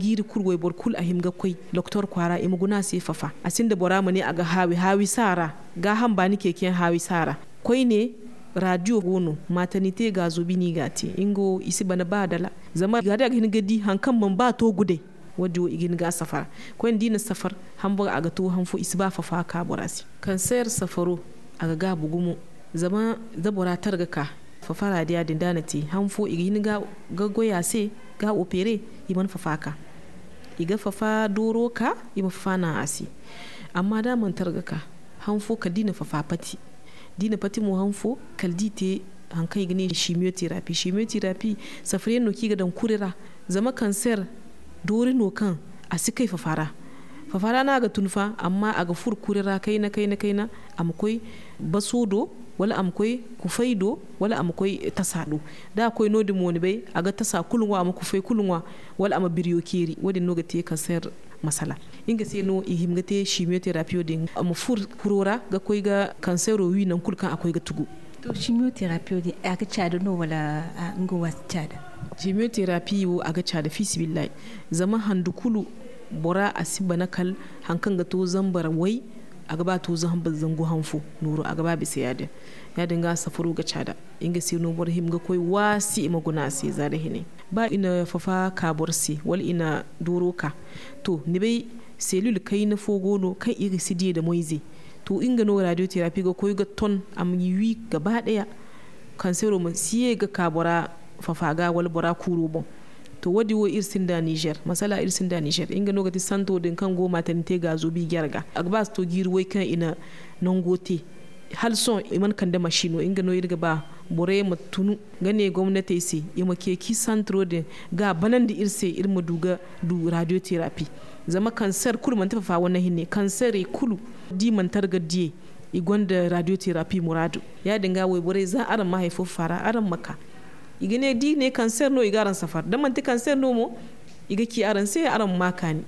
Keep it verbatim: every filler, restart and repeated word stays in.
Jiiri kulu wayboro kulu a hima ga koy doktor kwaara i ma guna se fafa. A sinda bora ma ne a ga haawi haawi saara. Gaaham baani ceeciyaŋ haawi saara. Koyne, raadiyo go no, maaternite gaazo bine i ga a te. Nga wo i si bana ba dala. Zama raadiyo a ga hin ga di hari kaŋ mana ba to gudey. Wo- din wo i ga hin ga a safara. Koyne da i na safar, hamboro a ga to han fo i si ba fafa ka bora se. Kanseer safaro, a ga gaabu gumo. Zama da bora targa ka, fafa raadiya din da a na te han fo i ga hin ga goy a se, ga opere, i mana fafa ka. I ga fafa dooro ka, i ma fafa naŋ a se. Amma da a mana targa ka, han fo kala da i na fafa pati. Da i na pati mo han fo, kala da i te hari kaŋ i ga ne chimiotherapie. Chimiotherapie, safariyaŋ no kaŋ i ga daŋ kuri ra. Zama kanseer doori no kaŋ a si kay fafa ra. Fafa ra no a ga tun fa, amma a ga furo kuri ra kayna kayna kayna. A ma koy baso do, wala a ma koy kufay do, wala a ma koy tasa do. Da a koy no- din mo ni bay, a ga tasa kulu ŋwa, a ma kufay kulu ŋwa, wala a ma biriyo ceeri. Wo- din no ga te kanseer masala. Nga se no i hima ga te chimiotherapie din, a ma furo kuro ra ga koy ga kanseero wi nangu kulu kaŋ a koy ga tugu. To, chimiotherapie din, a ga caada no, wala nga wo a si caada? Chimiotherapie wo, a ga caada fi sibillahi. Zama handu kulu, bora a si bana kala hari kaŋ ga to zambar way, a ga ba to zambar zangu han fo nooro, a ga ba bisa ya- din. Ya- din ga safaro ga caada. Nga se no boro hima ga koy waasi i ma guna a se za da hine. Ba i na fafa ka boro se, wala i na dooro ka, to, ni bay, selil kayna fo go no kaŋ i ga si diya da moyze. To, nga no radiotherapie ga koy ga ton a ma wi gaba daya, kansero ma si ye ga ka bora fafa ga wala bora kuuro boŋ. To, wo- din wo iri sinda niger, masala iri sinda niger. Nga no ga ti santo din kaŋ go maternité gaazo bi jare ga, a ga ba si to jiiri way kaŋ i na nango te. Hala sohõ i mana kande masino. Nga no iri ga ba borey ma tunu ga ne gomnatey se, i ma ceeci santiro din ga banandi iri se, iri ma du ga du radiotherapie. Zama kanser kulu manti fafa wane hinne, kanserey kulu da i mana targa diyey, i gonda radiotherapie muraadu. Ya- din ga, wayborey, za araŋ ma hari fo fafa ra, araŋ ma ka. I ga ne da i ne kanser no, i ga araŋ safar. Da manti kanser no mo, i ga ci araŋ se, araŋ ma kaani.